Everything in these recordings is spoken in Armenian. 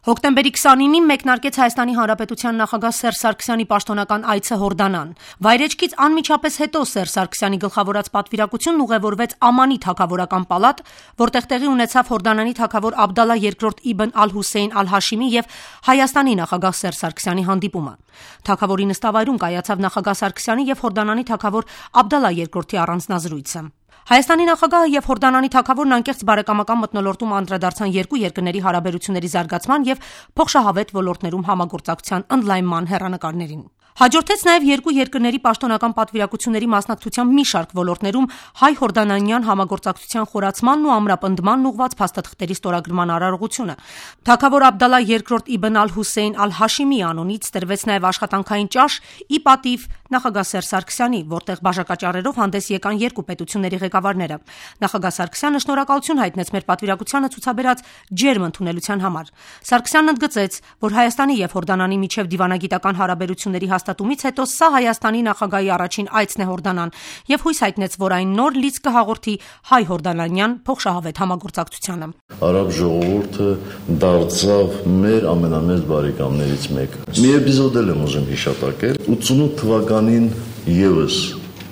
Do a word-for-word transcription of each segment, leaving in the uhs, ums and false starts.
Հոկտեմբերի քսանինին մեկնարկեց Հայաստանի Հանրապետության նախագահ Սերժ Սարգսյանի պաշտոնական այցը Հորդանան։ Վայրէջքից անմիջապես հետո Սերժ Սարգսյանի գլխավորած պատվիրակությունն ուղևորվեց Ամանի թագավորական պալատ, որտեղ տեղի ունեցավ Հորդանանի թագավոր Աբդալլա երկրորդ Իբն Ալ-Հուսեյն Ալ-Հաշիմի եւ Հայաստանի նախագահ Սերժ Սարգսյանի հանդիպումը։ Թագավորի նստավայրում կայացավ նախագահ Սարգսյանի եւ Հորդանանի թագավոր Աբդալլա երկրորդի առանձնազրույցը։ Հայաստանի նախագահը եւ Հորդանանի թագավորն անկեղծ բարեկամական մթնոլորտում անդրադարձան երկու երկրների հարաբերությունների զարգացման եւ փոխշահավետ ոլորտներում համագործակցության ընդլայնման հեռանկարներին։ Հաջորդեց նաև երկու երկրների պաշտոնական պատվիրակությունների մասնակցությամբ մի շարք ոլորտներում հայ-հորդանանյան համագործակցության խորացմանն ու ամրապնդմանն ուղղված փաստաթղթերի ստորագրման արարողությունը։ Թագավոր Աբդալլա երկրորդ Իբն Ալ-Հուսեյն Ալ-Հաշիմի անունից տրվեց նաև աշխատանքային ճաշ ի պատիվ նախագահ Սերժ Սարգսյանի, որտեղ բաժակաճառերով հանդես եկան երկու պետությունների ղեկավարները։ Նախագահ Սարգսյանը շնորհակալություն հայտնեց մեր պատվիրակությանը ցուցաբերած ջերմ ընդունելության համար։ Սարգսյանն ընդգծեց, որ Հայաստանի եւ Հորդանանի միջև դիվանագիտական հարաբերությունների հաստատումից հետո սա Հայաստանի նախագահի առաջին այցն է Հորդանան եւ հույս հայտնեց, որ այն նոր լիցք կհաղորդի հայ-հորդանանյան փոխշահավետ համագործակցությանը։ Արաբ ժողովուրդը դարձավ մեր ամենամեծ բարեկամներից մեկը։ Մի էպիզոդ եմ ուզում հիշատակել։ ութսունութ թվականին եւս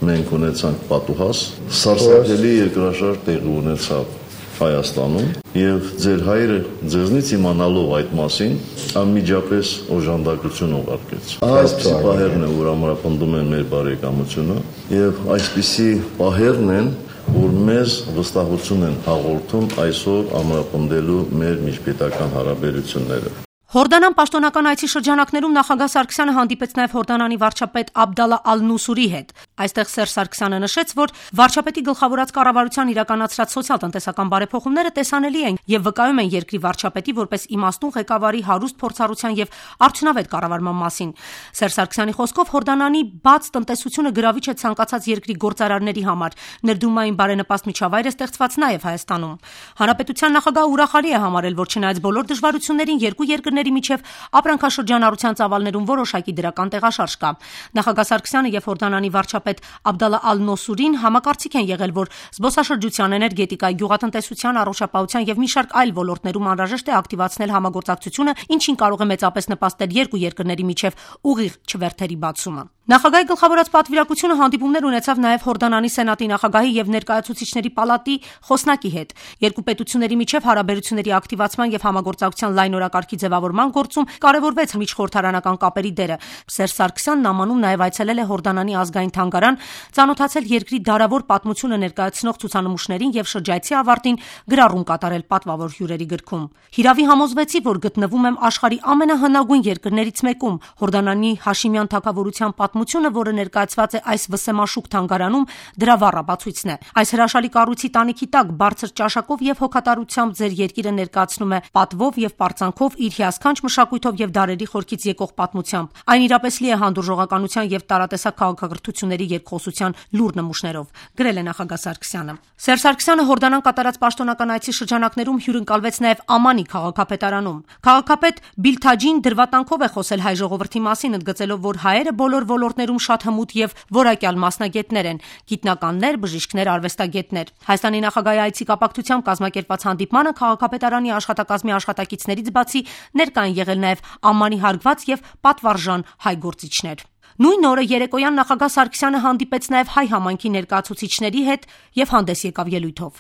մենք ունեցանք պատուհաս, սարսափելի երկրաշարժ տեղի ունեցավ Հայաստանում եւ ձեր հայրը ձեզնից իմանալով այդ մասին անմիջապես օժանդակություն ուղարկեց։ Այսպիսի պահերն են, որ ամրապնդում են մեր բարեկամությունը եւ այսպիսի պահերն են, որ մեզ վստահություն են հաղորդում այսօր ամրապնդելու մեր միջպետական հարաբերությունները։ Հորդանան պաշտոնական այցի շրջանակներում նախագահ Սարգսյանը հանդիպեց նաև Հորդանանի վարչապետ Աբդալլա Ալ-Նուսուրի հետ։ Այստեղ Սերժ Սարգսյանը նշեց, որ վարչապետի գլխավորած կառավարության իրականացրած սոցիալ-տնտեսական բարեփոխումները տեսանելի են եւ վկայում են երկրի վարչապետի որպես իմաստուն ղեկավարի հարուստ փորձառության եւ արդյունավետ կառավարման մասին։ Սերժ Սարգսյանի խոսքով Հորդանանի բաց տնտեսությունը գրավիչ է ցանկացած երկրի գործարարների համար։ Ներդրումային բարենպաստ միջավայր է ստեղծված նաև Հայաստանում։ Հանրապետության նախագահը ուրախալի է համարել, որ չնայած բոլոր դժվարություններին երկու երկրների միջև ապրանքաշրջանառության ծավալներում որոշակի դրական տեղաշարժ կա։ Նախագահ Սարգսյանը եւ Հորդանանի վարչապետ Աբդալլա Ալ-Նոսուրին համակարծիք են եղել, որ զբոսաշրջության, էներգետիկայի, գյուղատնտեսության, առողջապահության եւ մի շարք այլ ոլորտներում անհրաժեշտ է ակտիվացնել համագործակցությունը, ինչին կարող է մեծապես նպաստել երկու երկրների միջև ուղիղ չվերթերի բացումը։ Նախագահի գլխավորած պատվիրակությունը հանդիպումներ ունեցավ նաև Հորդանանի սենատի նախագահի եւ ներկայացուցիչների պալատի խոսնակի հետ։ Երկու պետությունների միջև հարաբերությունների ակտիվացման եւ համագործակցության լայնորակարգի ձևավորման գործում կարևորվեց միջխորհրդարանական կապերի դերը։ Սերժ Սարգսյանն նամանում նաև այցելել է Հորդանանի ազգային թանգարան, ծանոթացել երկրի դարավոր պատմությունը ներկայացնող ցուցանմուշներին եւ շրջայցի ավարտին գրառում կատարել պատվավոր հյուրերի գրքում։ Հիրավի համոզվեցի, որ գտնվում եմ աշխարհի ամենահնագույն երկրներից մեկում։ Հորդանանի Հաշիմյան թագավորության պատմությունը, որը ներկայացված է այս վսեմաշուկ թանգարանում, դրա վառապացույցն է։ Այս հրաշալի կառույցի տանիքի տակ բարձր ճաշակով եւ հոգատարությամբ ձեր երկիրը ներկայացնում է պատվով եւ պարծանքով իր հիասքանչ մշակույթով եւ դարերի խորքից եկող պատմությամբ։ Այն իրապես լի է հանդուրժողականության եւ տարատեսակ քաղաքակրթությունների երկխոսության լուր նմուշներով, գրել է նախագահ Սարգսյանը։ Սերժ Սարգսյանը Հորդանան կատարած պաշտոնական այցի շրջանակներում հյուրընկալվեց նաև Ամանի քաղաքապետարանում։ Քաղաքապետ Բիլթաջին դրվատանքով է խոսել հայ ժողովրդի մասին, ընդգծելով, որ հայերը բոլոր ոլորտներում շատ հմուտ եւ որակյալ մասնագետներ են՝ գիտնականներ, բժիշկներ, արվեստագետներ։ Հայաստանի նախագահի այցի կապակցությամբ կազմակերպված հանդիպմանը քաղաքապետարանի աշխատակազմի աշխատակիցներից բացի ներկա են եղել նաև Ամանի հարգված եւ պատվարժան հայ գործիչներ։ Նույն օրը երեկոյան նախագահ Սարգսյանը հանդիպեց նաև հայ համայնքի ներկայացուցիչների հետ եւ հանդես եկավ ելույթով։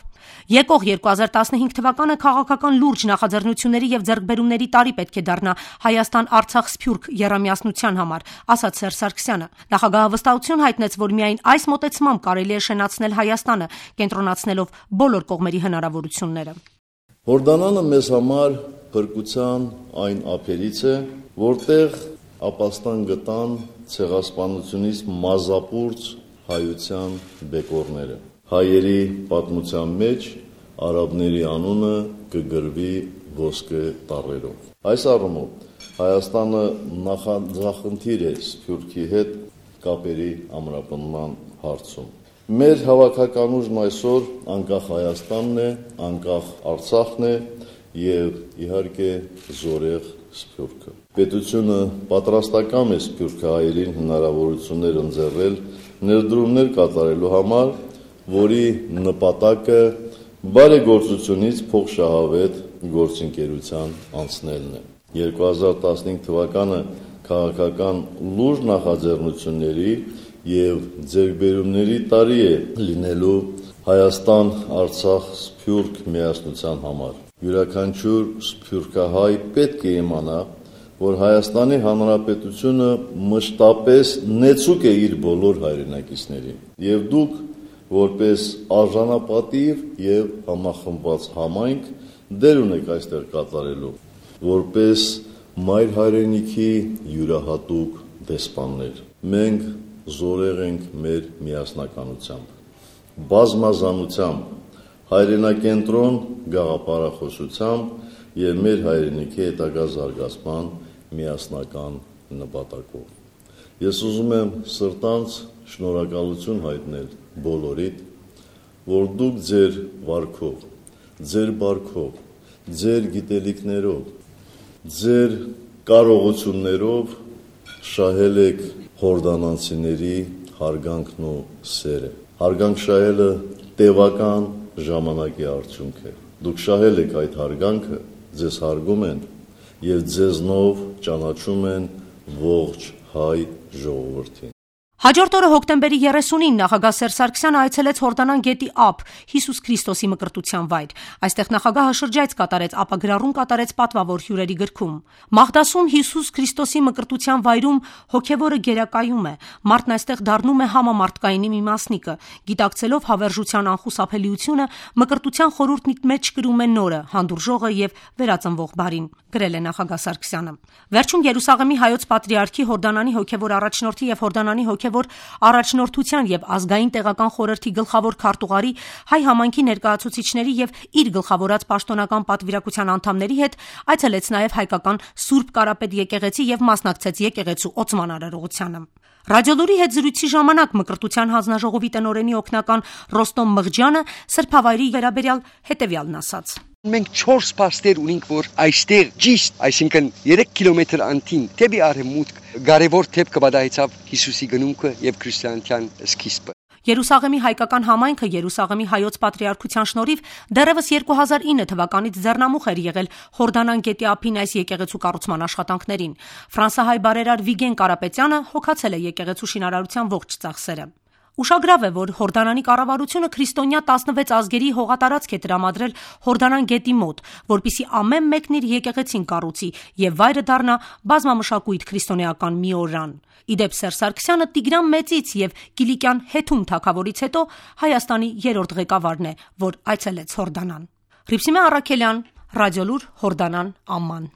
Եկող երկու հազար տասնհինգ թվականը քաղաքական լուրջ նախաձեռնությունների եւ ձեռքբերումների տարի պետք է դառնա Հայաստան-Արցախ սփյուռք եռամիասնության համար, ասաց Սերժ Սարգսյանը։ Նախագահը վստահություն հայտնեց, որ միայն այս մոտեցմամբ կարելի է շենացնել Հայաստանը, կենտրոնացնելով բոլոր կողմերի հնարավորությունները։ Հորդանանը մեզ համար փրկության այն ափերից է, որտեղ ապաստան գտան ցեղասպանությունից մազապուրծ հայության բեկորները։ Հայերի պատմության մեջ արաբների անունը կգրվի ոսկե տառերով։ Այս առումով Հայաստանը նախախնդիր է Սփյուռքի հետ կապերի ամրապնդման հարցում։ Մեր հավաքական ուժն այսօր անկախ Հայաստանն է, անկախ Արցախն է եւ իհարկե զորեղ Սփյուռքը։ Պետությունը պատրաստական է սփյուռքահայերին հնարավորություններ ընձեռել ներդրումներ կատարելու համար, որի նպատակը բարեգործությունից փոխշահավետ գործընկերության անցնելն է։ երկու հազար տասնհինգ թվականը քաղաքական լուրջ նախաձեռնությունների եւ ձեռքբերումների տարի է լինելու Հայաստան-Արցախ սփյուռք միասնության համար։ Յուրաքանչյուր սփյուռքահայ պետք է իմանա, որ Հայաստանի Հանրապետությունը մշտապես նեցուկ է իր բոլոր հայրենակիցներին, եւ դուք որպես արժանապատիվ եւ համախմբված համայնք դեր ունեք այստեղ կատարելու, որպես մայր հայրենիքի յուրահատուկ դեսպաններ։ Մենք զորեղ ենք մեր միասնականությամբ, բազմազանությամբ, հայրենակենտրոն գաղափարախոսությամբ եւ մեր հայրենիքի հետագա զարգացման միասնական նպատակով։ Ես ուզում եմ սրտանց շնորհակալություն հայտնել բոլորիդ, որ դուք ձեր վարքով, ձեր բարքով, ձեր գիտելիքներով, ձեր կարողություններով շահել եք հորդանանցիների հարգանքն ու սերը։ Հարգանք շահելը տևական ժամանակի արդյունք է։ Դուք շահել եք այդ հարգանքը, ձեզ հարգում են եւ ձեզնով ճանաչում են ողջ հայ ժողովրդին։ Հաջորդ օրը հոկտեմբերի երեսունին նախագահ Սերժ Սարգսյանը այցելեց Հորդանան գետի ափ Հիսուս Քրիստոսի մկրտության վայր։ Այստեղ նախագահը շրջայց կատարեց, ապա գրառում կատարեց պատվավոր հյուրերի գրքում։ Մաղդասում Հիսուս Քրիստոսի մկրտության վայրում հոգևորը գերակայում է։ Մարդն այստեղ դառնում է համամարտկայինի մի մասնիկը։ Գիտակցելով հավերժության անխուսափելիությունը, մկրտության խորհուրդն իր մեջ կրում է նորը, հանդուրժողը եւ վերածնվող բարին, գրել է նախագահ Սարգսյանը։ Վերջում Երուսաղեմի հայոց պատրիարքի Հորդանանի հոգևոր առաջնորդի եւ Հորդանանի հոգևոր առաջնորդության եւ ազգային տեղական խորհրդի գլխավոր քարտուղարի, հայ համայնքի ներկայացուցիչների եւ իր գլխավորած պաշտոնական պատվիրակության անդամների հետ այցելեց նաեւ հայկական Սուրբ Կարապետ եկեղեցի եւ մասնակցեց եկեղեցու օծման արարողությանը։ Ռադիոլուրի հետ զրույցի ժամանակ մկրտության հանձնաժողովի տնօրենի օգնական Ռոստոմ Մղջյանը սրբավայրի վերաբերյալ հետևյալն ասաց. Մենք չորս պաստեր ունենք, որ այստեղ ճիշտ, այսինքն երեք կիլոմետր անտին դեպի արևմուտք կարևոր դեպք կբադայեցավ Հիսուսի գնումքը եւ քրիստիանության սկիզբը։ Երուսաղեմի հայկական համայնքը Երուսաղեմի հայոց պատրիարքության շնորհիվ դեռևս երկու հազար ինը թվականից ձեռնամուխ էր եղել Հորդանան գետի ափին այս եկեղեցու կառուցման աշխատանքներին։ Ֆրանսահայ բարերար Վիգեն Կարապետյանը հոգացել է եկեղեցու շինարարության ողջ ծախսերը։ Ուշագրավ է, որ Հորդանանի կառավարությունը քրիստոնյա տասնվեց ազգերի հողատարածք է տրամադրել Հորդանան գետի մոտ, որպիսի ամեն մեկն իր եկեղեցին կառուցի եւ վայրը դառնա բազմամշակույթ քրիստոնեական մի օրրան։ Իդեպ Սերժ Սարգսյանը Տիգրան Մեծից եւ Կիլիկյան Հեթում թագավորից հետո Հայաստանի երրորդ ղեկավարն է, որ այցելեց Հորդանան։ Հռիփսիմե Առաքելյան, Ռադիոլուր, Հորդանան, ամման։